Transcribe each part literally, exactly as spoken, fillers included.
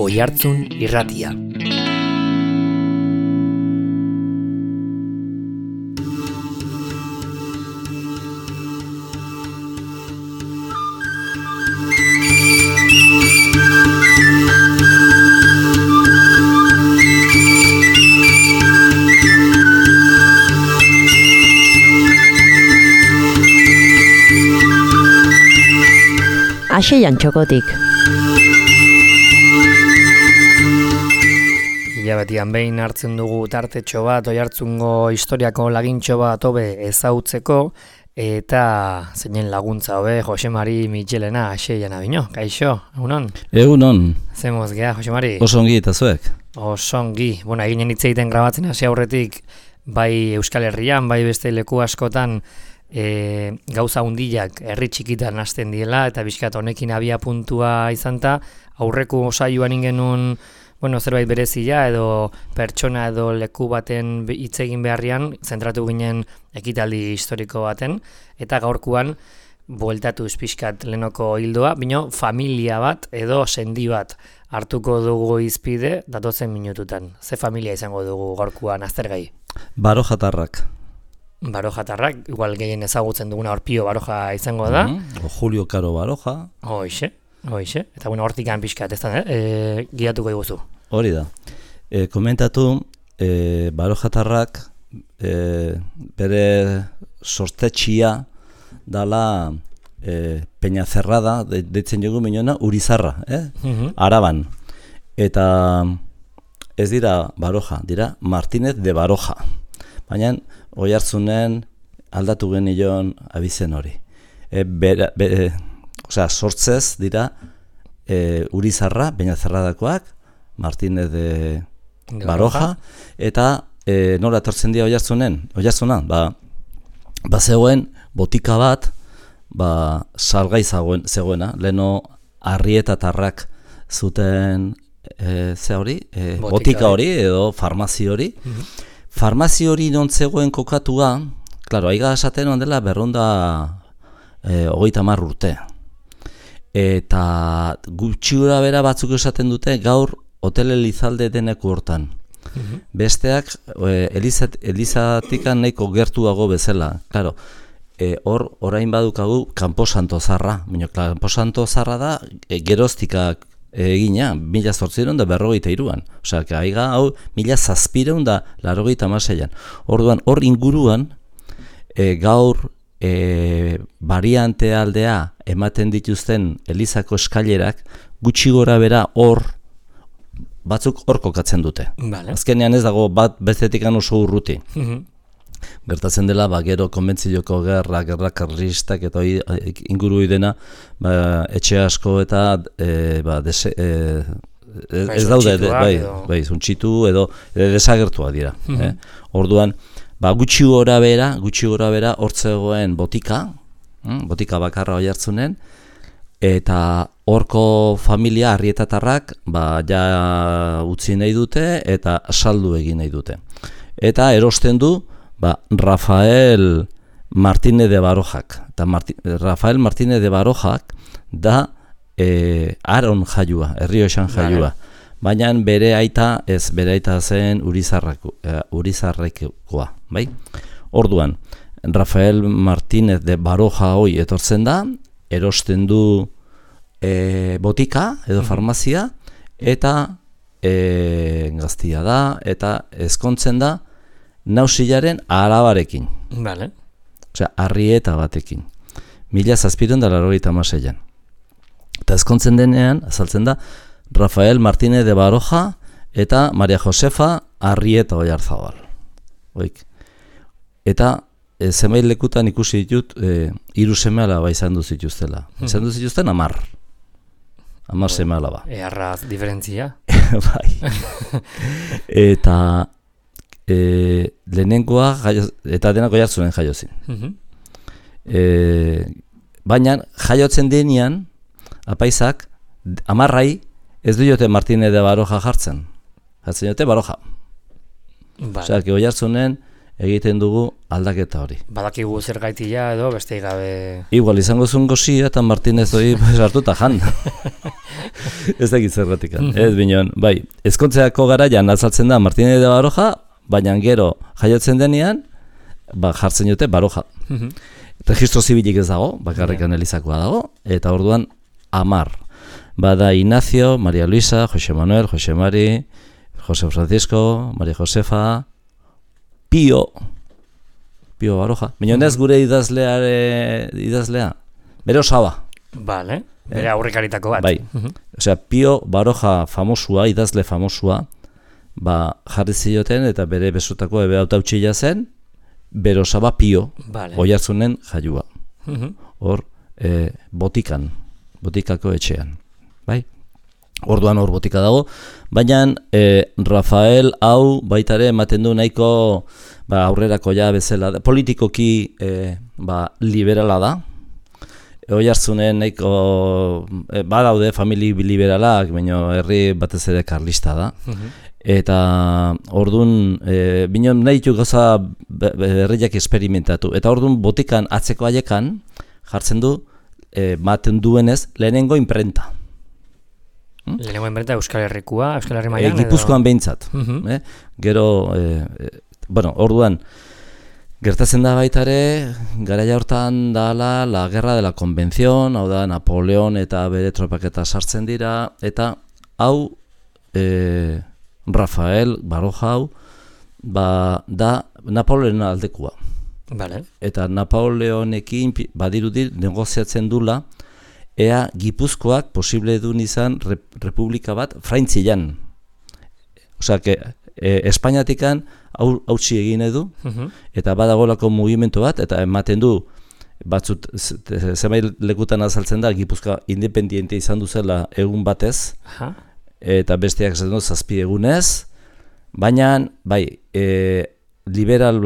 Oihartzun Irratia. Aseian txokotik. Hilabetian behin hartzen dugu tartetxo bat, Oihartzungo historiako lagintxo bat hobe ezautzeko, eta zeinen laguntza hobe Jose Mari Mitxelena Aseian abino. Kaixo, egunon? Egunon. Zemoz gea, Jose Mari? Osongi eta zuek? Osongi. Bueno, eginen hitz egiten grabatzen hasi aurretik, bai Euskal Herrian, bai beste leku askotan, E, gauza hundiak herri txikitan hasten diela eta bizkat honekin abia puntua izanta aurreko saioan ingenun bueno, zerbait berezia edo pertsona edo leku baten hitz egin beharrian zentratu ginen ekitaldi historiko baten eta gaurkoan bueltatuz pixkat lehenoko hildoa, bino familia bat edo sendi bat hartuko dugu izpide datozen minututan. Ze familia izango dugu gaurkoan aztergai? Barojatarrak. Barojatarrak, igual gehien ezagutzen duguna Orpio Baroja izango da. Mm-hmm. O Julio Caro Baroja. Hoixe, hoixe. Eta bueno, hortikan pixkat, ez da, eh? E, guiatuko diguzu. Hori da. E, komentatu, e, Barojatarrak e, bere sortetxia dala e, Peñacerrada, de, deitzen jogu minona, Urizarra, eh? Mm-hmm. Araban. Eta ez dira Baroja, dira Martínez de Baroja. Baina Oihartzunen aldatu genion abizen hori. E, bera, be, e, osea, sortzez dira e, Urizarra, Peñacerradakoak, Martínez de, de Baroja, eta e, nola etortzen dira Oihartzunen? Oihartzunan, ba, ba zegoen botika bat, ba, salgai zegoen, zegoena, leheno Arrietatarrak zuten e, ze hori, e, botika, botika hori edo farmazi hori. Mm-hmm. Farmazi hori non zegoen kokatua, klaro, aiga esaten ondela berrunda e, hogeita hamar urte. Eta gutxiura bera batzuk esaten dute gaur Hotel Elizalde deneko hortan. Mm-hmm. Besteak e, Elizat, Elizatikan nahiko gertuago bezala. Klaro, e, hor orain badukagu Camposanto Zarra. Baina Camposanto Zarra da e, geroztikak egina, mila zortzireun da berrogeita iruan. Osea, aiga hau mila zazpireun da larrogeita amaseian. Orduan, hor inguruan, e, gaur e, variante aldea ematen dituzten Elizako eskailerak, gutxi gora bera hor, batzuk hor kokatzen dute. Vale. Azkenean ez dago bat bestetikan oso urruti. Mm-hmm. Gertatzen dela, ba, gero konbentzioko gerra, gerra karlistak eta hori inguru dena, ba, etxe asko eta e, ba, dese, e, ez, ez daude, de, bai, bai, zuntxitu edo desagertua dira. Mm-hmm. eh? Orduan, ba, gutxi gora bera, gutxi gora bera, hortzegoen botika, hm? botika bakarra Oihartzunen, eta horko familia Arrietatarrak, ba, ja utzi nahi dute eta saldu egin nahi dute. Eta erosten du, ba, Rafael Martínez de Barojak. Eta Marti, Rafael Martínez de Barojak da e, Aron jaiua, Errioxan jaiua. Baina bere aita, ez, bere aita zen Urizarreko, e, Urizarrekoa, bai? Orduan, Rafael Martínez de Baroja hoi etortzen da, erosten du e, botika edo farmazia, eta e, gaztia da, eta ezkontzen da, Nausilaren arabarekin. Vale. Osea, Arrieta batekin. Mila zazpireun da larrogeita hamaseian. Eta ezkontzen denean, azaltzen da, Rafael Martínez de Baroja eta Maria Josefa Arrieta Oiarzabal. Oik. Eta e, zenbait lekutan ikusi ditut, e, hiru seme alaba izan du zituztela. Hmm. Izan du zituzten amar. Amar oh, seme alaba. Earraz diferentzia. Bai. Eta E, lehenengoa jaio, eta denak Oihartzunen jaiozin. Mm-hmm. E, baina jaiotzen denean apaizak amarrai ez du jote Martínez de Baroja jartzen. Jartzen jote Baroja. Vale. Osea, Oihartzunen egiten dugu aldaketa hori. Badakigu zer gaitia edo beste gabe... Igual izango zuen gozia eta Martinez hori sartuta jan. Ez dakit zergatik. Ez bineon, bai, ezkontzeako garaian azaltzen da Martinez de Baroja, baina gero jaiotzen denean, ba, jartzen dute Baroja. Registro zibilik ez dago, bakarrikan elizakoa dago, eta orduan amar. Bada Ignacio, Maria Luisa, Jose Manuel, Jose Mari, Jose Francisco, Maria Josefa, Pio, Pio Baroja. Minonez gure idazleare, idazlea, bere osaba. Vale, bere aurrekaritako bat. Bai, osea, Pio Baroja famosua, idazle famosua, ba, jarri zioten eta bere besotako ebe hautautxila zen, bere osaba Pio, vale. Oiartzunen jaiua. Hor, e, botikan, botikako etxean. Bai? Orduan hor botika dago, baina e, Rafael hau baitare ematen du nahiko ba, aurrerako ja bezala, politikoki e, ba, liberala da. Oiartzunen nahiko e, badaude famili liberalak, baina herri batez ere karlista da. Eta orduan e, bineon nahi ditu gauza herriak esperimentatu. Eta orduan botikan atzeko haiekan jartzen du e, maten duenez lehenengo imprenta. Hmm? Lehenengo imprenta Euskal Herrikua, Euskal Herri mailan? E, Gipuzkoan behintzat. Uh-huh. eh? Gero, e, e, bueno, orduan, gertatzen da baitare, garaia hortan dala la guerra de la convención, hau da Napoleon eta bere tropaketa sartzen dira, eta hau e, Rafael Baroja hau ba, da Napoleon aldekua. Vale. Eta Napoleonekin badirudi negoziatzen dula, ea Gipuzkoak posible duen izan rep, republika bat Fraintzilan. Osea, que e, Espainiatikan hautsi egin edu, uh-huh. eta badagolako mugimendu bat, eta ematen du, batzut, zenbait lekutan azaltzen da, Gipuzkoa independiente izan duzela egun batez, uh-huh. eta besteak zen du zazpi egunez, baina, bai, e, liberal,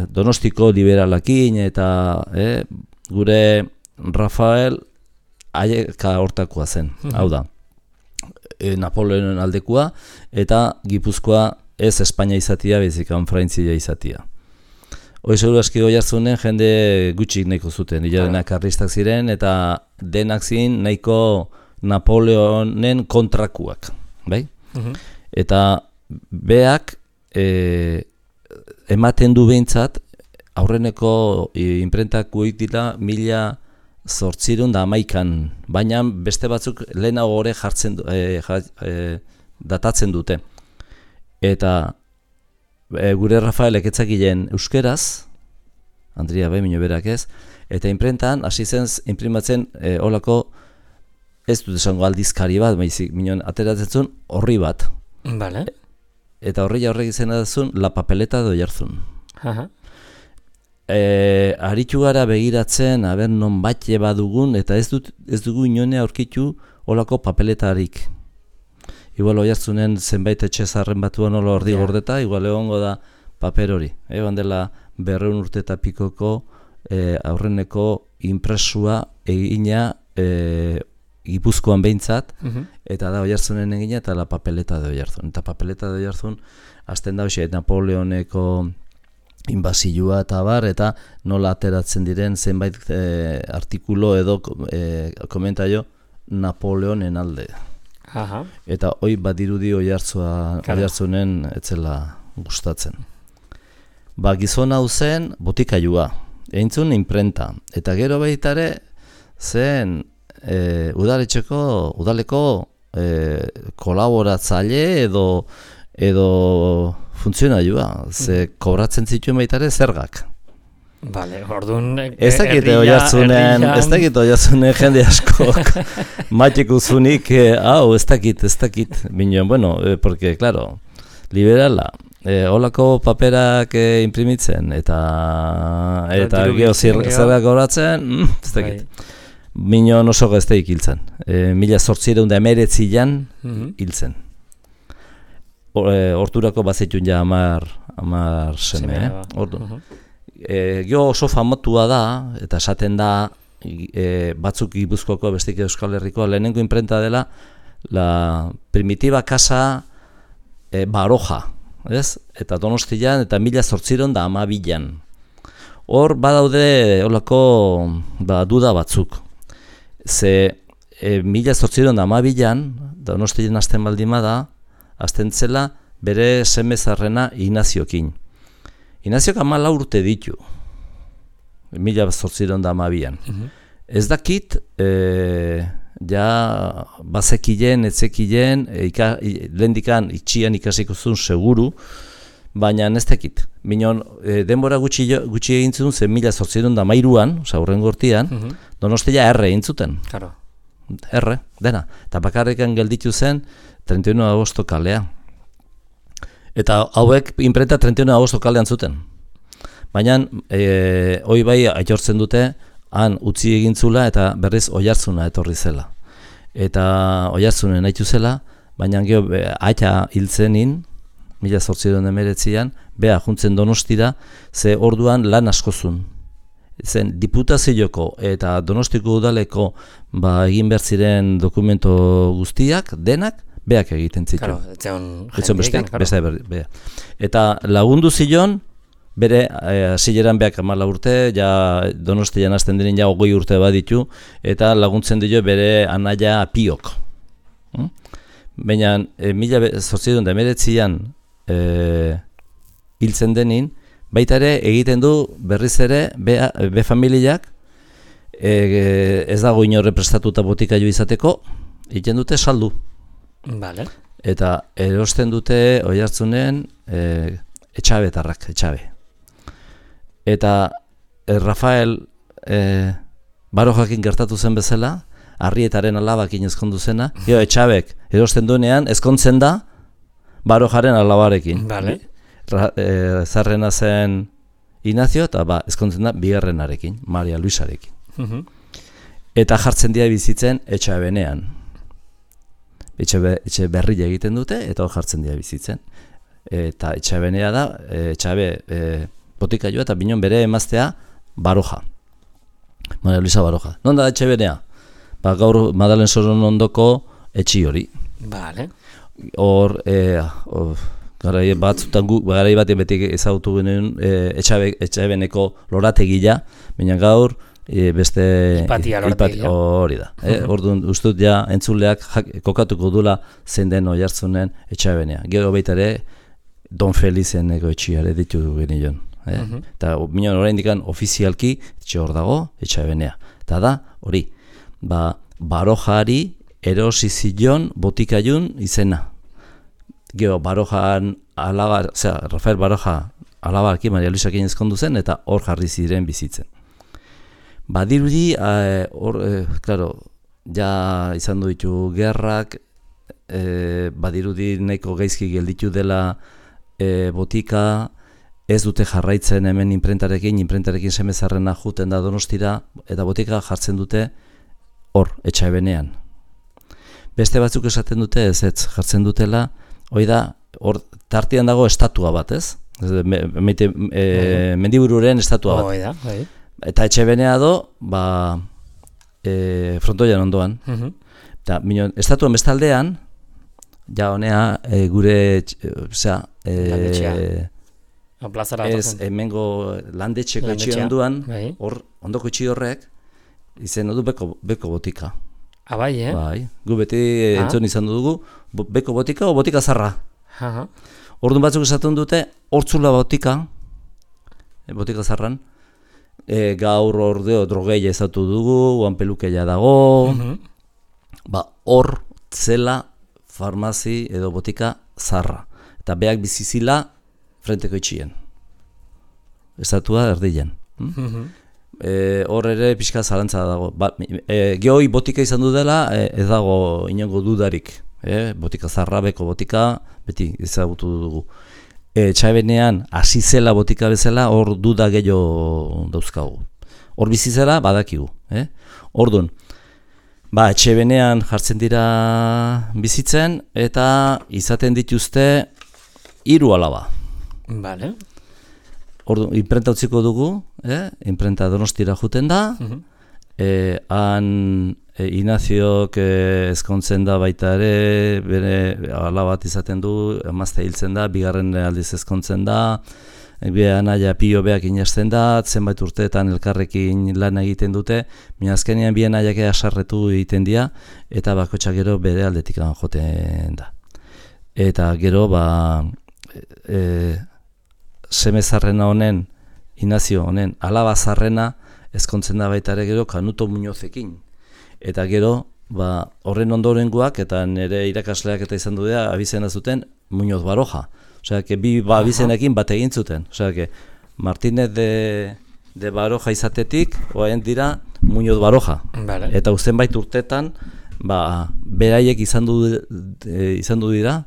Donostiko liberalakin, eta e, gure Rafael, aieka hortakoa zen, uh-huh. hau da, e, Napoleonen aldekua, eta Gipuzkoa ez Espainia izatia, bezikan Fraintzia izatia. Hoi seguru aski Oiartzunen jende gutxik nahiko zuten, hilarenak karlistak ziren, eta denak ziren nahiko Napoleonen kontrakuak, bai? Uh-huh. Eta beak e, ematen du behintzat, aurreneko e, imprentakuik dira mila zortzirun da amaikan, baina beste batzuk lehenago gore jartzen e, ja, e, datatzen dute. Eta e, gure Rafaelek etzakilen euskeraz, Andria Bemino berak ez, eta imprentan hasi zen imprimatzen e, olako, ez dut esango aldizkari bat, baizik, minon ateratzen zuen horri bat. Vale. Eta horri horrek izena zuen La Papeleta de Oiartzun. Aha. E, aritu gara begiratzen, aber non batxe badugun, eta ez, dut, ez dugu inone aurkitu olako papeletarik. Igual Oiartzunen zenbait etxe zarren batuan ola ordi yeah. gordeta, igual egongo da paper hori. Egon dela berreun urte eta pikoko e, aurreneko impresua egina e, Gipuzkoan behintzat, uh-huh. eta da Oiartzunen egina eta La Papeleta de Oiartzun. Eta Papeleta de Oiartzun azten da hoxe Napoleoneko inbasilua eta bar, eta nola ateratzen diren zenbait e, artikulo edo e, komentaio Napoleonen alde. Aha. Eta hoi badirudi Oiartzua, Oiartzunen etzela gustatzen. Ba, gizon hau zen botikailua, eintzun imprenta, eta gero baitare zen e, udaletxeko, udaleko e, kolaboratzaile edo edo funtzionailua, ze kobratzen zituen baitare zergak. Vale, orduan... Ez dakit Oiartzunen, ez dakit Oiartzunen jende askok matiko zunik, hau, ez dakit, ez dakit, bineon, bueno, eh, porque, claro, liberala, eh, holako paperak eh, imprimitzen, eta eta geho zergak kobratzen, mm, ez dakit. Bineon oso gazteik hiltzen, eh, mila zortzireun da emeretzian hiltzen. Horturako bazitun ja amar, amar seme, eh? Ordu. Uh-huh. E, Gio oso famatua da, eta esaten da e, batzuk Gipuzkoako bestik Euskal Herrikoa lehenengo imprenta dela la primitiva casa e, Baroja, ez? Eta Donostian, eta mila zortziron da amabilan. Hor badaude holako ba, duda batzuk. Ze e, mila zortziron da amabilan, Donostian hasten baldima da, hasten zela bere semezarrena Ignaziokin. Ignaziok hamala urte ditu, mila zortziron da amabian. Uh-huh. Ez dakit, e, ja bazekilen, etzekilen, ika, lehendikan itxian ikasiko zuen seguru, baina ez dakit. Minon, e, denbora gutxi, gutxi egin zuen, zen mila zortziron da mairuan, oza, hurren gortian, uh-huh. Donostia erre egin zuten. Claro. Erre, dena. Eta bakarrekan gelditu zen treinta y uno de agosto kalea. Eta hauek imprenta treinta y uno de agosto kalean zuten. Baina, e, hoi bai aitortzen dute, han utzi egin zula eta berriz Oiartzuna etorri zela. Eta Oiartzunen haitu zela, baina geho aita hiltzenin, mila zortziron emeretzian, beha juntzen Donostira, ze orduan lan askozun. Zen diputazioko eta Donostiko udaleko ba, egin behar ziren dokumento guztiak, denak, beak egiten zitu. Claro, etzion jendeik, beste bea. Eta lagundu zion, bere hasileran beak hamala urte, ja Donostian hasten diren ja hogei urte baditu, eta laguntzen dio bere anaia Piok. Hmm? Baina, e, mila zortziron da emeretzian e, hiltzen denin, baita ere egiten du berriz ere be, be familiak e, ez dago inorre prestatuta botikailu izateko, egiten dute saldu. Vale. Eta erosten dute Oiartzunen e, etxabetarrak, etxabe. Eta e, Rafael e, Barojakin gertatu zen bezala, Arrietaren alabakin ezkondu zena, jo, etxabek erosten duenean ezkontzen da Barojaren alabarekin. Vale. Ra, e, zarrena zen Ignazio eta ba, ezkontzen da bigarrenarekin, Maria Luisarekin. Uh-huh. Eta jartzen dira bizitzen etxabenean. Etxe, be, etxe berria egiten dute eta hor jartzen dira bizitzen. Eta etxabenea da, etxabe e, botikailua eta binon bere emaztea Baroja. Maria Luisa Baroja. Non da etxabenea? Ba, gaur Madalen Soron ondoko etxi hori. Vale. Hor, e, garai batzutan gu, garai bat beti ezagutu genuen e, etxabe, etxabeneko lorategia, baina gaur e, beste Ipatia lorategia. Hori da. E, orduan, ustut ja entzuleak jak, kokatuko dula zein den Oiartzunen etxabenea. Gero baita ere, Don Felizeneko etxiare ditu genion. Eh? Uh-huh. Eta minon oraindikan ofizialki etxe hor dago etxabenea. Eta da, hori, ba, Barojari erosi zion botikailun izena. Gero Barojan alaba, osea, Rafael Baroja alabarki Maria Luisakin ezkondu zen eta hor jarri ziren bizitzen. Badirudi, hor, e, claro, ja izan du ditu gerrak, e, badirudi nahiko gaizki gelditu dela e, botika, ez dute jarraitzen hemen inprentarekin, inprentarekin semezarrena juten da Donostira, eta botika jartzen dute hor, etxabenean. Beste batzuk esaten dute ez ez, jartzen dutela, hoi da, hor tartean dago estatua bat, ez? Me, me, e, mendibururen estatua bat. Hoi da, hoi. Eta etxabenea do, ba, e, frontoian ondoan. Uh-huh. Eta, minon, estatuan bestaldean, ja honea, e, gure, osea, e, ez, hemengo landetxeko etxe onduan, hor, ondoko etxe horrek, izen du beko, beko botika. Ah, bai, eh? Bai, gu beti ah. entzun izan dugu, beko botika o botika zarra. Uh-huh. Orduan batzuk esaten dute, hortzula botika, botika zarran, e, gaur ordeo drogeia ezatu dugu, oan pelukeia dago, uh-huh. ba, hor zela farmazi edo botika zarra. Eta beak bizizila frenteko itxien. Estatua erdilen. Hm? Uh-huh. E, hor ere pixka zalantza dago. Ba, e, Geoi botika izan du dela, e, ez dago inongo dudarik. E, botika zarrabeko botika, beti ezagutu dugu. E, Txabenean, hasi zela botika bezala, hor duda gehiago dauzkagu. Hor bizizela, badakigu. E? Orduan, ba, Txabenean jartzen dira bizitzen, eta izaten dituzte hiru alaba. Vale. Ordu, imprenta utziko dugu, eh? Imprenta Donostira juten da, uh-huh. e, han e, Inaziok e, ezkontzen da baita ere, bere ala bat izaten du, emazte hiltzen da, bigarren aldiz ezkontzen da, bere anaia pio beak inasten da, zenbait urteetan elkarrekin lan egiten dute, baina azkenean bien anaiak asarretu egiten dira, eta bakotxa gero bere aldetik joten da. Eta gero, ba, e, semezarrena honen, Inazio honen, alaba zarrena, ezkontzen da baita ere gero Kanuto Muñozekin. Eta gero, ba, horren ondorengoak, eta nire irakasleak eta izan du dira, abizena zuten Muñoz Baroja. Osea, que bi ba, abizenekin bat egin zuten. Osea, que Martínez de, de Baroja izatetik, oain dira Muñoz Baroja. Vale. Eta zenbait urtetan, ba, beraiek izan du, e, izan du dira,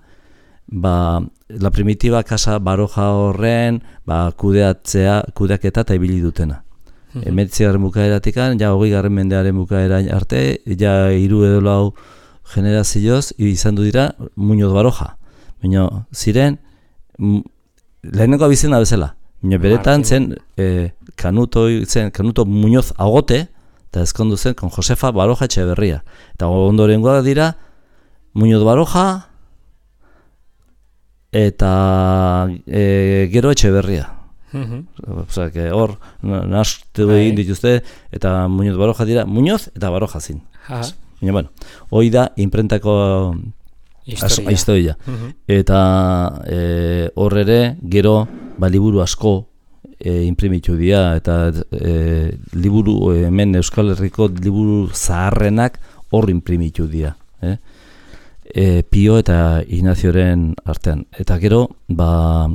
ba, la primitiva Casa Baroja horren ba, kudeatzea, kudeaketa eta ibili dutena. Mm-hmm. Emeretzigarren bukaeratik, ja hogei garren mendearen bukaera arte, ja hiru edo lau generazioz izan du dira Muñoz Baroja. Baina ziren, lehenengo abizena bezala. Baina beretan zen, e, Kanuto, zen Kanuto Muñoz Agote, eta ezkondu zen kon Josefa Baroja Etxeberria. Eta ondorengoak dira Muñoz Baroja, eta e, gero Etxeberria. Mm-hmm. Osea, que hor nastu egin dituzte, eta Muñoz Baroja dira, Muñoz eta Baroja zin. Baina, bueno, hoi da imprentako historia. historia. Mm-hmm. Eta e, hor ere, gero, ba, liburu asko e, imprimitu dira, eta e, liburu, hemen Euskal Herriko liburu zaharrenak hor imprimitu dira. Eh? E, Pio eta Ignazioren artean. Eta gero, ba,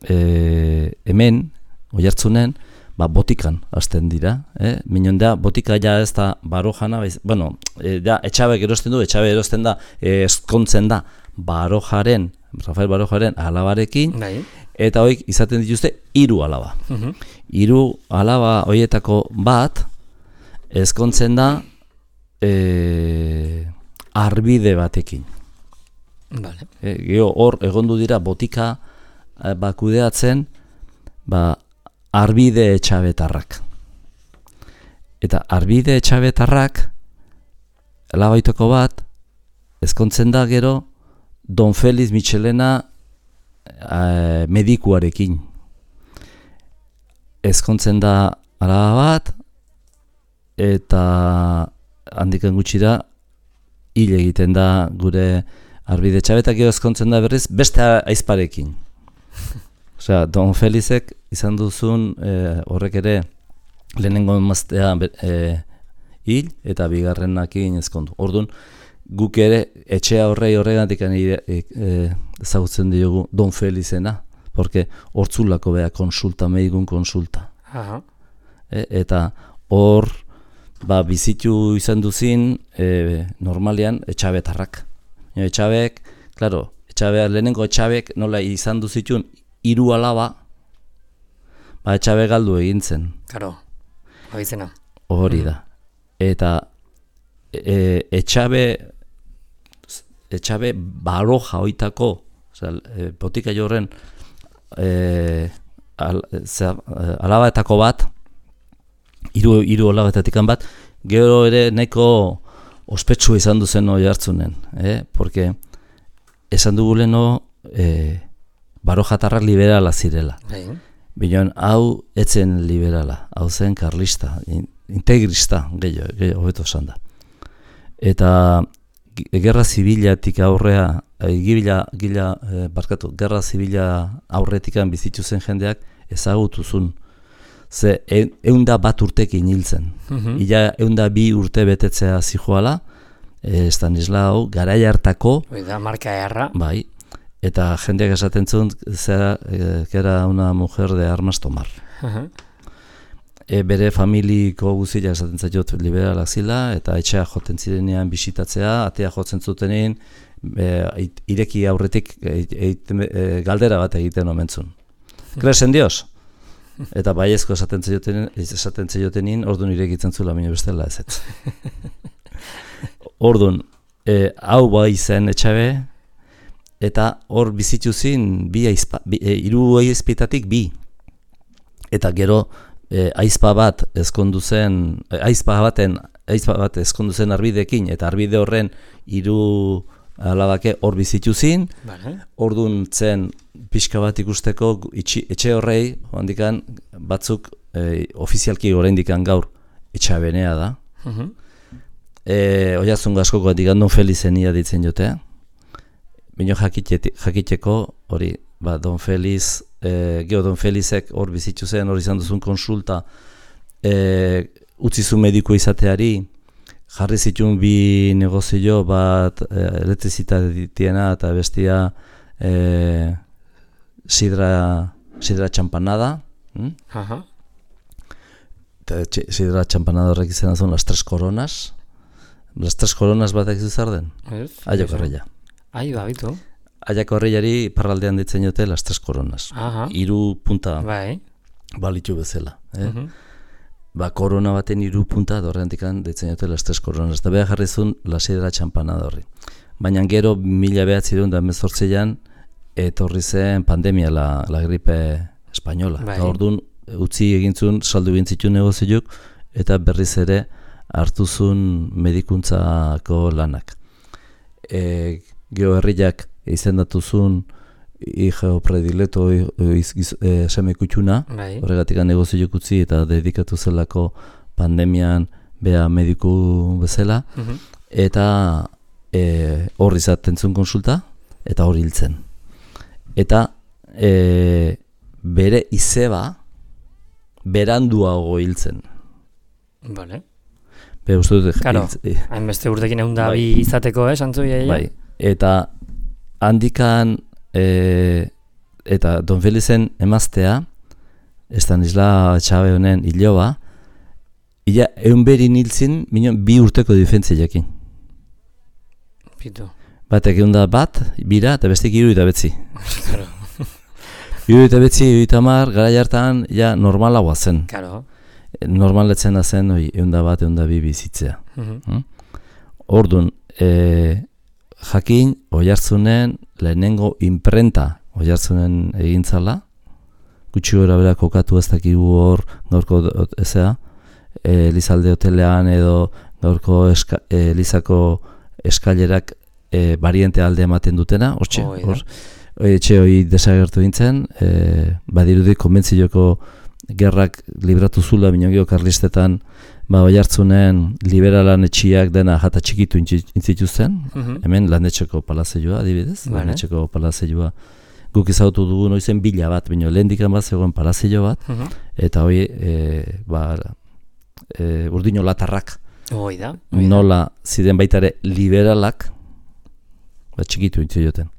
e, hemen, Oiartzunen, ba, botikan hasten dira. Eh? Minon da, botika ja ez da Barojana, baiz, bueno, e, da, Etxabek erosten du, Etxabe erosten da, e, ezkontzen da Barojaren, Rafael Barojaren alabarekin, Dai. Eta hoik izaten dituzte hiru alaba. Uh-huh. Hiru alaba hoietako bat, ezkontzen da, e, arbide batekin. Vale. E, Gero hor egondu dira botika e, ba, kudeatzen ba, arbide etxabetarrak. Eta arbide etxabetarrak alabaitoko bat ezkontzen da gero Don Feliz Michelena e, medikuarekin. Ezkontzen da alaba bat eta handikan gutxira hil egiten da gure arbide etxabetak gero ezkontzen da berriz beste aizparekin. Osea, Don Felizek izan duzun e, horrek ere lehenengo emaztea e, hil eta bigarrenakin ezkondu. Orduan, guk ere etxea horrei horregatik ezagutzen e, diogu Don Felizena, porque hortzulako beha konsulta, medigun konsulta. Aha. E, eta hor ba, bizitu izan duzin e, normalean etxabetarrak. Etxabek, claro, etxabek, lehenengo etxabek nola izan duzitun hiru alaba, ba, etxabek galdu egin zen. Karo, abizena. Hori da. Eta e, etxabe, etxabe Baroja oitako, oza, e, botika jorren e, al, zera, alabaetako bat, hiru hiru alabaetatik bat, gero ere nahiko ospetsu izan duzen Oiartzunen, eh? Porque esan dugu leno eh, Barojatarrak liberala zirela. Bion, hau etzen liberala, hau zen karlista, integrista, gehiago, gehiago, hobeto esan da. Eta gerra zibilatik aurrea, gila, gila, eh, barkatu, gerra zibila aurretikan bizitu zen jendeak ezagutuzun. Ze eunda bat urtekin hiltzen. Mm-hmm. Ila eunda bi urte betetzea zijoala, e, Stanislao, garai hartako. Oida, marka erra. Bai, eta jendeak esaten zuen, zera, e, era una mujer de armas tomar. Uh-huh. E, bere familiko guzila esaten zaiot liberalak zila, eta etxea joten zirenean bisitatzea, atea jotzen zutenean, e, ireki aurretik e, e, e, galdera bat egiten omentzun. Kresen Dios? Eta baiezko esaten zeiotenin, esaten zeiotenin, orduan irekitzen zula, baina bestela ez ez. Orduan, e, hau bai zen etxabe, eta hor bizitu zin, bi aizpa, bi, e, iru aizpitatik bi. Eta gero, e, aizpa bat ezkondu zen, aizpa baten, aizpa bat ezkondu zen arbidekin, eta arbide horren hiru alabake hor bizitu zin, vale. Ordun zen pixka bat ikusteko itxi, etxe horrei, handikan batzuk e, ofizialki oraindikan gaur etxabenea da. Uh-huh. E, Oiazun gaskoko handikan Don Felizenia ditzen jotea. Bino jakiteko hori, ba, Don Feliz, e, geho Don Felizek hor bizitu zen, hor izan duzun konsulta, e, utzizu mediku izateari, jarri zituen bi negozio bat e, elektrizitateena eta bestia e, sidra, sidra txampanada. Hm? Aha. Eta sidra txampanada horrek izan azun las tres coronas. Las tres coronas batak izuzar den? Aiako herria. Ai, ba, bitu. Aiako herriari parraldean ditzen jote las tres coronas. Aha. Hiru punta Bai. balitu bezala. Eh? Uh-huh. Ba, korona baten hiru punta dorrentikan ditzen jote las tres coronas. Eta beha jarrizun la sidra txampanada horri. Baina gero mila behatzireun da mezortzean etorri zen pandemia, la, la gripe espainola. Bai. Eta orduan utzi egintzun, saldu egintzitu negoziok, eta berriz ere hartuzun medikuntzako lanak. E, Geo herriak izendatuzun hijo predileto e, seme kutxuna, Bai. horregatik negoziok utzi eta dedikatu zelako pandemian bea mediku bezala, Uh-huh. eta e, hor izaten zuen konsulta, eta hor hiltzen. Eta e, bere izeba beranduago hiltzen. Vale. Be, uste dut, Karo, hiltz- hainbeste urtekin egun da Bai. bi izateko, eh, santzu iaia? bai, eta handikan e, eta Don Felizen emaztea, Estanisla Txabe honen hiloba, ila eun berin hiltzin, minon bi urteko difentziakin. Pitu. Batek egun da bat, bira, eta bestik hiru eta betzi. Karo. Hiru eta betzi, hiru eta mar, gara jartan, ja normalagoa zen. Karo. Normaletzen zen, oi, egun da bat, egun da bi bizitzea. Uh-huh. Ordun, e, jakin Oiartzunen lehenengo imprenta Oiartzunen egintzala, gutxi gora bera kokatu ez dakigu hor gaurko ezea, e, Elizalde hotelean edo gaurko eska, e, Elizako eskailerak e, bariente alde ematen dutena, hortxe, Hoi da. hor, etxe hori desagertu dintzen, e, badirudi konbentzioko gerrak libratu zula, bino geho karlistetan, ba, Oiartzunen liberalan etxiak dena jata txikitu intzituzten, Uh-huh. hemen landetxeko palazeioa, adibidez, Vale. landetxeko palazeioa, guk izautu dugu noizen bila bat, bino lehendikan bat zegoen palazeio bat, Uh-huh. eta hoi, e, ba, e, urdino latarrak, Hoi da. hoi da. nola ziren baitare liberalak, ba, txikitu intzioten.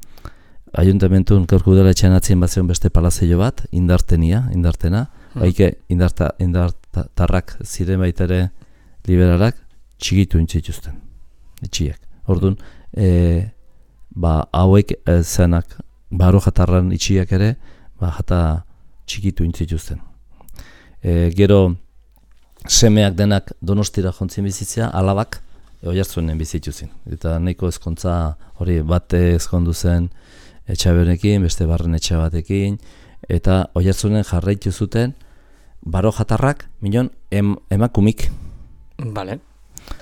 Ayuntamentuan gaurko udaletxean atzien bat zegoen beste palazeio bat, indartenia, indartena, Hmm. baike indarta, indartarrak ziren baitare liberalak, txikitu intzituzten, etxiak. Orduan, e, ba, hauek e, zenak, baro jatarran itxiak ere, ba, jata txikitu intzituzten. E, gero, semeak denak Donostira jontzien bizitzea, alabak, e, Oiartzunen bizituzin. Eta nahiko ezkontza hori bate ezkondu zen Etxabenekin, beste barren etxe batekin, eta Oiartzunen jarraitu zuten baro jatarrak, minon em, emakumik. Vale.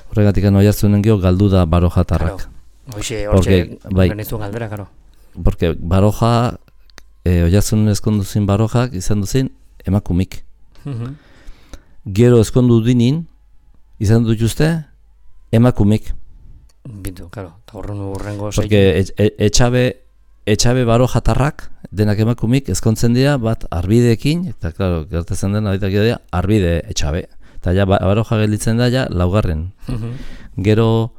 Horregatik Oiartzunen geho galdu da baro jatarrak. Claro. Hoxe, Porque, hortxe, bai. genizun galdera, karo. Porque baroja, e, Oiartzunen ezkondu zin barojak, izan duzin emakumik. Uh-huh. Gero ezkondu dinin, izan dut juzte, emakumik. Bitu, karo. Eta horren urrengo Porque e, e, etxabe, etxabe baro jatarrak, denak emakumik, ezkontzen dira, bat arbideekin, eta claro, gertatzen dena, dira, arbide etxabe. Eta ja, baroja gelditzen da, ja, laugarren. Uh-huh. Gero,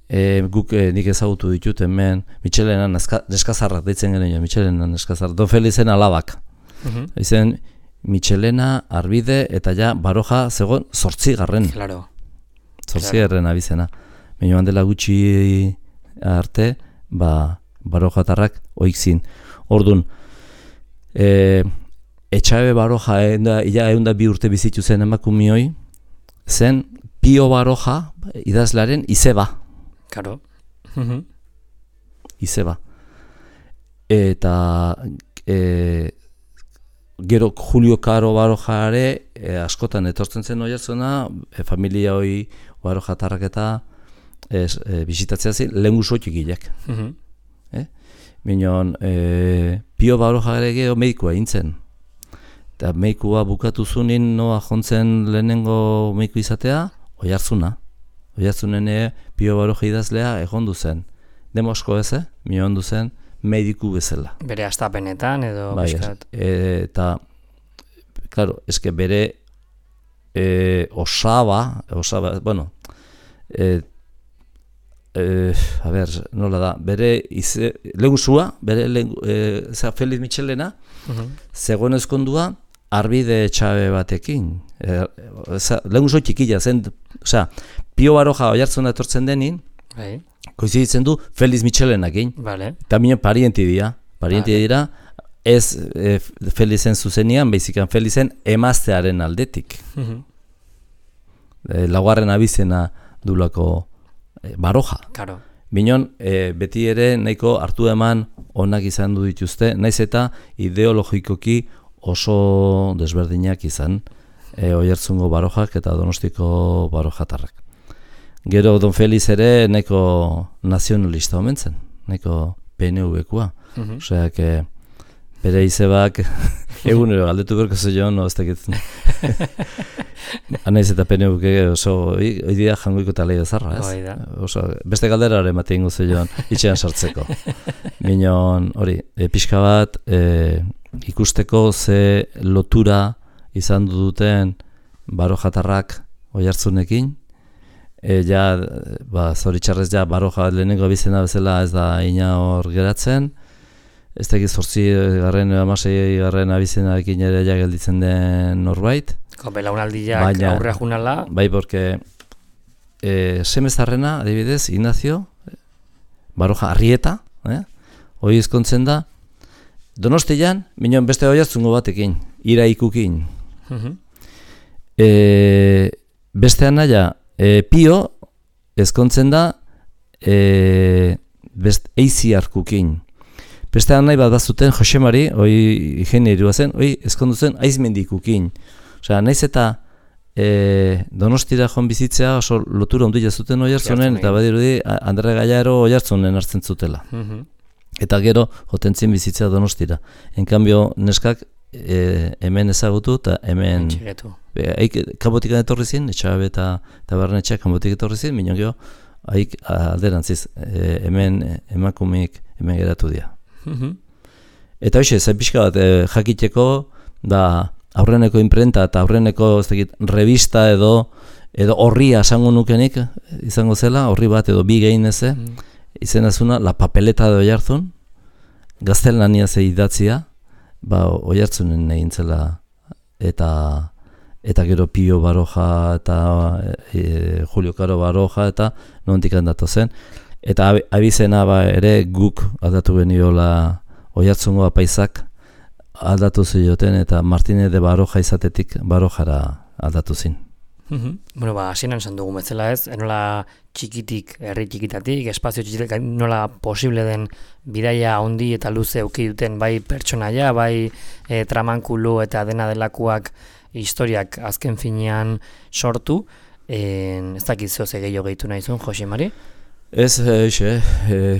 e, guk e, nik ezagutu ditut hemen, Michelena neskazarrak deitzen genuen, Michelena neskazarrak, Don Felizen alabak. Uh-huh. Izen, Michelena, arbide, eta ja, baroja zegoen zortzigarren. Claro. Zortzigarren abizena. Baina handela gutxi arte, ba, barojatarrak oikzin. Ordun, e, etxabe baroja, enda, ia eunda bi urte bizitu zen emakumioi, zen Pio Baroja idazlaren izeba. Karo. Uh-huh. Izeba. Eta e, gero Julio Caro Barojare e, askotan etortzen zen Oiartzuna, e, familia hoi Barojatarrak eta ez, e, bisitatzea zen lehen guzo txikileak. Mhm. Eh? Minon, e, Pio Barojare geho medikua intzen. Eta medikua bukatu zunin noa jontzen lehenengo mediku izatea, Oiartzuna. Oiartzunen e, Pio Baroja idazlea egondu zen. Demosko ez, eh? Minon du zen mediku bezala. Bere astapenetan edo Bai, bizkat. e, eta, claro, eske bere e, osaba, osaba, bueno, e, e, a ber, nola da, bere ize, lehuzua, bere lehen, e, zera, Feliz Michelena, Mhm. zegoen ezkondua, Arbide Txabe batekin. E, lehenguzo txikila zen, osea, Pio Baroja Oiartzuna etortzen denin, Bai, koiziditzen du Feliz Michelenakin. vale. Eta minen parienti dira, parienti Vale. dira, ez e, Felizen zuzenian, baizikan Felizen emaztearen aldetik. Mhm. E, laugarren abizena dulako e, Baroja. Karo. Minon, e, beti ere nahiko hartu eman onak izan du dituzte, naiz eta ideologikoki oso desberdinak izan e, Oiartzungo Barojak eta Donostiko Barojatarrak. Gero Don Feliz ere nahiko nazionalista omen zen, nahiko P N V-koa. Mhm. Osea, que bere izebak egunero galdetu berko zeion, no, ez dakitzen. Anaiz eta P N V oso, hoi dira jangoiko talei bezarra, ez? Hoi da. Oso, beste galderare ematen ingo zeion, itxean sartzeko. Minon, hori, e, pixka bat, e, ikusteko ze lotura izan duten Barojatarrak Oiartzunekin, E, ja, ba, zoritxarrez ja, Baroja lehenengo abizena bezala ez da ina hor geratzen. Ez da zortzi garren, amasei garren abizenarekin ere ja gelditzen den norbait. Belaunaldiak Baina- aurrea junala. Bai, porque e, semezarrena, adibidez, Ignacio, Baroja Arrieta, eh? Hoi ezkontzen da, Donostian, minon beste Oiartzungo batekin, Iraikukin. Mhm. E, beste anaia, E, Pio ezkontzen da e, best, Eiziarkukin. Beste nahi bat bazuten Josemari, hoi ingenierua zen, hoi ezkondu zen Aizmendikukin. Osea, naiz eta e, Donostira joan bizitzea oso lotura ondila zuten Oiartzunen, eta badirudi Andre Gaiaro Oiartzunen hartzen zutela. Mhm. Eta gero jotentzien bizitzea Donostira. En cambio, neskak e, hemen ezagutu eta hemen... Txigetu. Haik kanbotik etorri ziren, Etxabe eta Tabernetxeak kanbotik etorri ziren, minon geho, haik alderantziz, e, hemen emakumik hemen geratu dira. Mhm. Eta hoxe, zen pixka bat, e, jakiteko, da aurreneko imprenta eta aurreneko ez dakit, revista edo edo horria esango nukenik izango zela, horri bat edo bi gehin eze, Mhm. izena zuna, La Papeleta de Oiartzun, gaztelania ze idatzia, ba, Oiartzunen egin zela, eta eta gero Pio Baroja eta e, Julio Caro Baroja eta nondik handatu zen. Eta ab- abizena ba ere guk aldatu geniola Oiartzungo apaizak aldatu zioten eta Martínez de Baroja izatetik Barojara aldatu zin. Mhm. Bueno, ba, hasieran esan dugu bezala ez, nola txikitik, herri txikitatik, espazio txikitik, nola posible den bidaia handi eta luze eduki duten bai pertsonaia, bai e, tramankulu eta dena delakoak historiak azken finean sortu. E, ez dakit zeo ze gehiago gehitu nahizun, Josemari? Ez, eixe, e,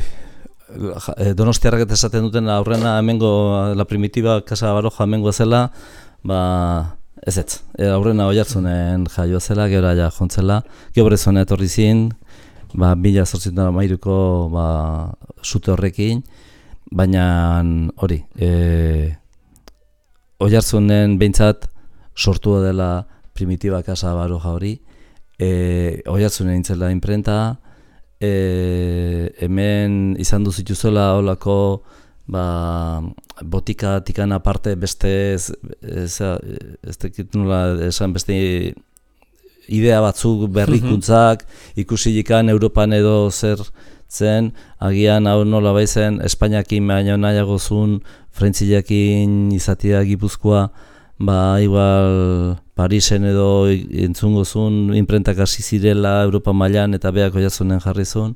e, Donostiarrak eta esaten duten aurrena hemengo La Primitiva Casa Baroja hemengo zela, ba, ez ez, e, aurrena Oiartzunen jaio zela, gero ja jontzela, Gebrezona etorri zin, ba, mila zortzitan amairuko ba, sute horrekin, baina hori, e, Oiartzunen behintzat sortua dela Primitiva Casa Baroja hori, e, Oiartzunen intzela imprenta, e, hemen izan du zituzuela holako ba, botika tikan aparte beste ez, ez, ez tekit nola esan beste idea batzuk berrikuntzak ikusilikan Europan edo zer zen, agian hau nola baizen Espainiakin baino nahiago zuen, Frentziakin izatea Gipuzkoa, ba igual Parisen edo entzungo zuen imprentak hasi zirela Europa mailan eta beak Oiartzunen jarri zuen.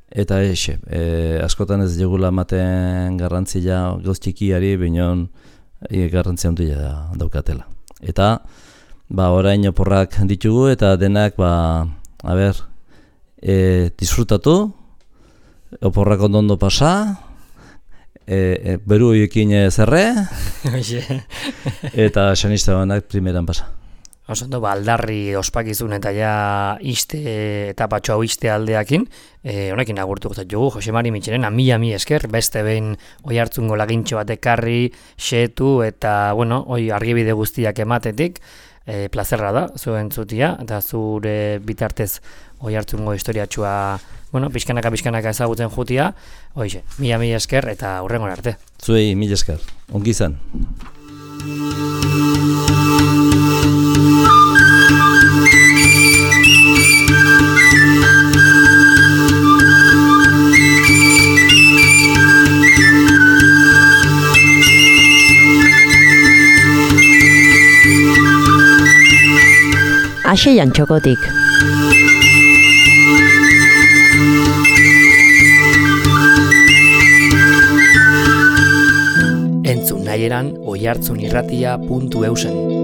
Eta eixe, e, askotan ez jogula ematen garrantzia gauz txikiari, binon e, garrantzia handia daukatela. Eta ba, orain oporrak ditugu eta denak ba, a ber, e, disfrutatu, oporrak ondo pasa, e, e, beru horiekin zerre, eta xanista banak primeran pasa. Osondo, ba, aldarri ospakizun eta ja iste etapatxo hau iste aldeakin, e, honekin agurtu guztat jugu, Jose Mari Mitxelena, mila mi esker, beste behin oi hartzungo lagintxo bat ekarri, xetu eta, bueno, oi argibide guztiak ematetik, e, plazerra da, zuen zutia, eta zure bitartez oi hartzungo historiatxua, bueno, pixkanaka pixkanaka ezagutzen jutia, oixe, mila mi esker eta hurrengon arte. Zuei, mila esker, ongi izan. Aseian txokotik. Entzun nahi eran oihartzunirratia puntu eusen.